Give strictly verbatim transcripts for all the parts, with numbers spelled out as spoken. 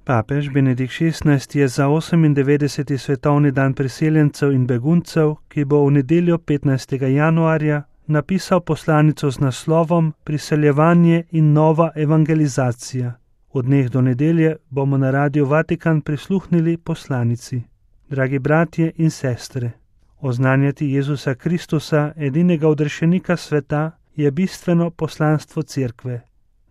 Papež Benedikt šestnajsti je za osemindevetdeseti svetovni dan priseljencev in beguncev, ki bo v nedeljo petnajstega januarja, napisal poslanico z naslovom Priseljevanje in nova evangelizacija. Od dneh do nedelje bomo na Radiu Vatikan prisluhnili poslanici. Dragi bratje in sestre, oznanjati Jezusa Kristusa, edinega odrešenika sveta, je bistveno poslanstvo Cerkve,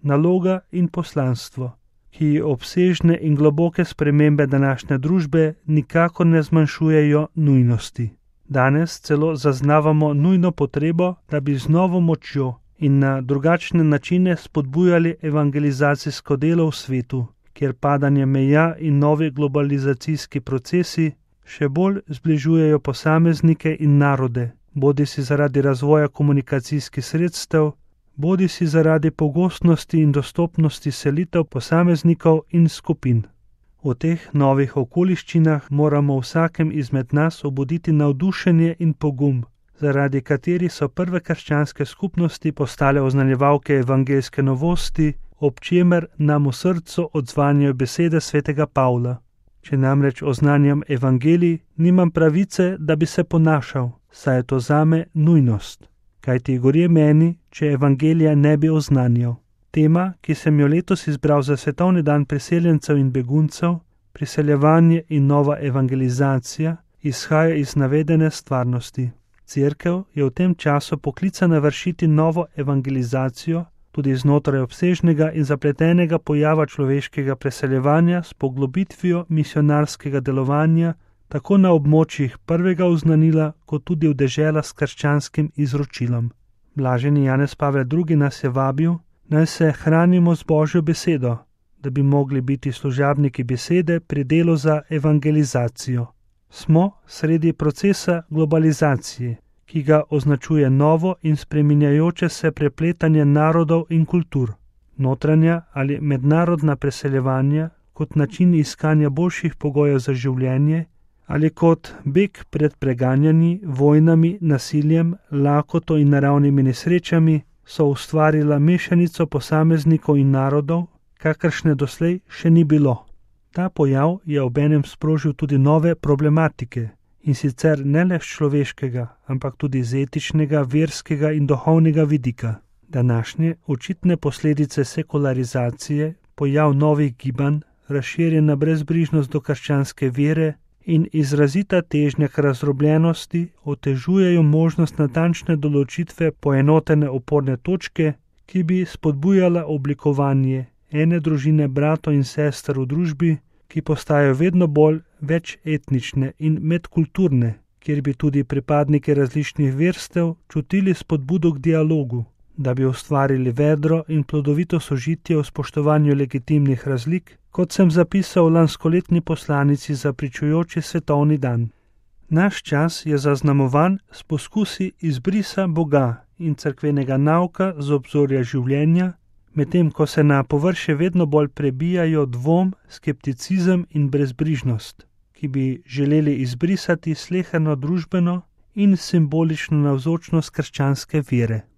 naloga in poslanstvo, ki obsežne in globoke spremembe današnje družbe nikakor ne zmanjšujejo nujnosti. Danes celo zaznavamo nujno potrebo, da bi z novo močjo in na drugačne načine spodbujali evangelizacijsko delo v svetu, kjer padanje meja in novi globalizacijski procesi še bolj zbližujejo posameznike in narode, bodisi zaradi razvoja komunikacijskih sredstev, bodisi zaradi pogostnosti in dostopnosti selitev posameznikov in skupin. V teh novih okoliščinah moramo vsakem izmed nas obuditi navdušenje in pogum, zaradi katerih so prve krščanske skupnosti postale oznanjevalke evangeljske novosti, ob čemer nam v srcu odzvanjajo besede svetega Pavla. Če namreč oznanjam evangelij, nimam pravice, da bi se ponašal, saj je to zame nujnost. Kajti gorje meni, če evangelija ne bi oznanjal. Tema, ki sem jo letos izbral za svetovni dan priseljencev in beguncev, priseljevanje in nova evangelizacija, izhaja iz navedene stvarnosti. Cerkev je v tem času poklicana vršiti novo evangelizacijo, tudi znotraj obsežnega in zapletenega pojava človeškega preseljevanja s poglobitvijo misionarskega delovanja, tako na območjih prvega oznanila, kot tudi v deželah s krščanskim izročilom. Blaženi Janez Pavel drugi nas je vabil, naj se hranimo z Božjo besedo, da bi mogli biti služabniki besede pri delu za evangelizacijo. Smo sredi procesa globalizacije, ki ga označuje novo in spreminjajoče se prepletanje narodov in kultur. Notranja ali mednarodna preseljevanja kot način iskanja boljših pogojev za življenje ali kot beg pred preganjanji, vojnami, nasiljem, lakoto in naravnimi nesrečami so ustvarila mešanico posameznikov in narodov, kakršne doslej še ni bilo. Ta pojav je obenem sprožil tudi nove problematike, in sicer ne le z človeškega, ampak tudi z etičnega, verskega in duhovnega vidika. Današnje očitne posledice sekularizacije, pojav novih gibanj, razširjena brezbrižnost do krščanske vere in izrazita težnja k razdrobljenosti otežujejo možnost natančne določitve poenotene oporne točke, ki bi spodbujala oblikovanje ene družine bratov in sester v družbi, ki postajajo vedno bolj večetnične in medkulturne, kjer bi tudi pripadniki različnih verstev čutili spodbudo k dialogu, da bi ustvarili vedro in plodovito sožitje v spoštovanju legitimnih razlik, kot sem zapisal v lanskoletni poslanici za pričujoči svetovni dan. Naš čas je zaznamovan s poskusi izbrisa Boga in cerkvenega nauka z obzorja življenja, medtem ko se na površje vedno bolj prebijajo dvom, skepticizem in brezbrižnost, ki bi želeli izbrisati sleherno družbeno in simbolično navzočnost krščanske vere.